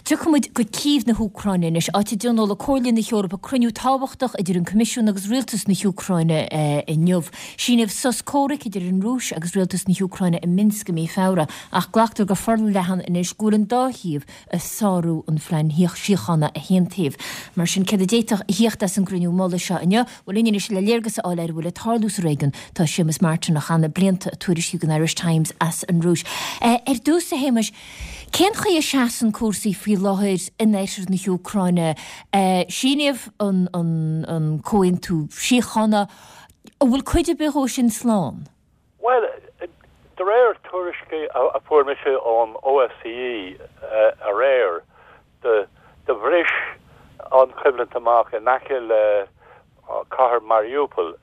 Tiocfaidh muid go Cív na hÚcráine anois, áit a dtionóladh Comhairle na hEorpa cruinniú tábhachtach idir an Coimisiún agus Rialtas na hÚcráine inniu. Síníodh sos comhraic idir an Rúis agus Rialtas na hÚcráine i Minsk i mí Feabhra, ach glactar go forleathan anois go bhfuil an dá thaobh ag sárú an phlean síochána a haontaíodh. Mar sin, céard a d'fhéadfadh a thíocht as an gcruinniú mullaigh seo inniu? Bhuel, linn anois le léargas a fháil ar a bhfuil ag tarlú sa réigiún, tá Séamus Martin, a chaith na blianta ag tuairisciú don Irish Times as an Rúis. Ar dtús, a Shéamais, cén chaoi a seasann cúrsaí faoi láthair in oirthear na hÚcráine? Síníodh an comhaontú síochána. An bhfuil cuid ar bith dhó sin slán? Bhuel, de réir tuairiscí a fuair mise ón OSCE aréir, do bhris an choimhlint amach in aice le cathair Mariupol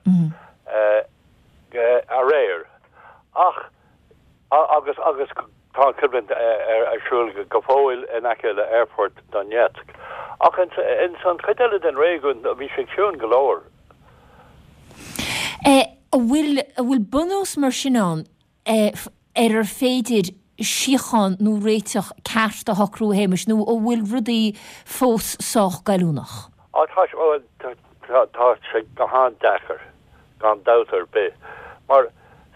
aréir ach agus agus tá an choimhlint ar siúl go fóill in aice le aerfort Donetsk. Ach ins an chuid eile den réigiún bhí sé ciúin go leor. An bhfuil, an bhfuil bunús mar sin ann ar ar féidir síocháin nó réiteach ceart a shocrú, a Shéamais, nó an bhfuil rudaí fós sách goilliúnach? Á, tá sé, bhuel, tá sé go han-deacair, gan dabht ar bith. Mar,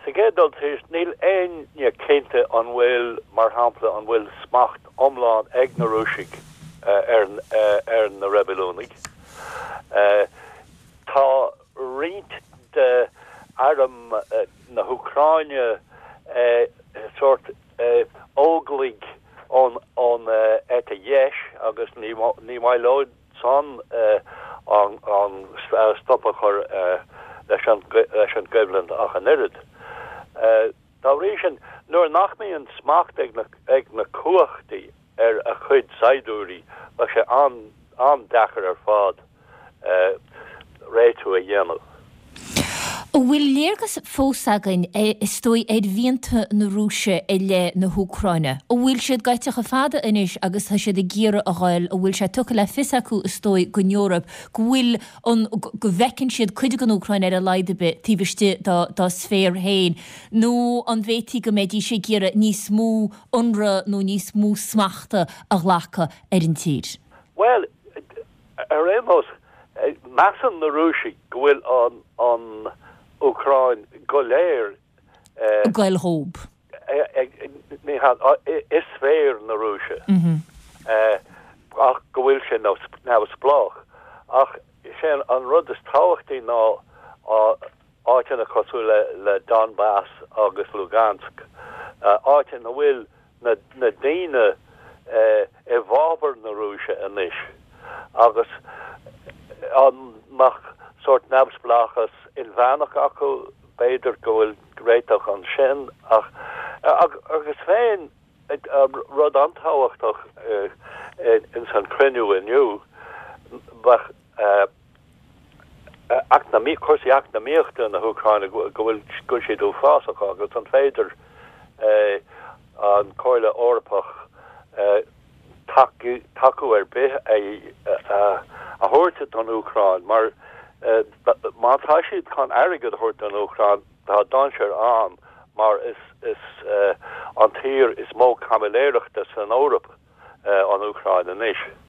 sa gcéad dul síos, níl éinne cinnte an bhfuil, mar shampla, an bhfuil smacht iomlán ag na Rúisigh ar, ar na reibiliúnaigh. Tá roinnt de arm na hÚcráine sórt óglaigh ón eite dheis agus ní maith leo san an stop a chur leis an gcoimhlint ach an oiread. Dá bhrí sin, nuair nach mbíonn smacht ag na cumhachtaí ar a chuid saighdiúirí, bheadh sé an-deacair ar fad réitiú a dhéanamh. An bhfuil léargas fós againn, is dóigh, ar mhianta na Rúise i leith na hÚcráine? An bhfuil siad gaibhte chomh fada anois agus tá siad ag iarraidh a ghoil, an bhfuil sé tugtha le fios acu, is dóigh, don Eoraip go bhfuil an, go bhfeiceann siad cuid den Úcráin ar a laghad ar bith taobh istigh dá, dá sféar féin, nó an bhféadfaí go mbeidís ag iarraidh níos mó ionradh nó níos mó smachta a ghlacadh ar an tír? Bhuel, ar aon nós, measann na Rúisigh go bhfuil an, an Úcráin go léir ag goil dhób. Ní hea, i sféar na Rúise, ach go bhfuil sé neamhspleách. Ach is é an rud is tábhachtaí ná áiteanna cosúil le Donbas agus Lugansk, áit ina bhfuil na daoine i bhfabhar na Rúise anois agus an mbeadh sórt neamhspleáchas inmheánach acu, b'fhéidir go bhfuil réiteach ansin ach agus féin rud an-tábhachtach ins an chruinniú inniu bheadh cúrsaí eacnamaíochta na hÚcráine go bhfuil go bhfuil siad uafásach agus an féidir an Chomhairle Eorpach tacú ar bith a thabhairt don Úcráin mar má tá siad chun airgead a thabhairt don Úcráin tá dainséar ann mar is is an tír is mó caimiléireachta san Eoraip an Úcráin anois.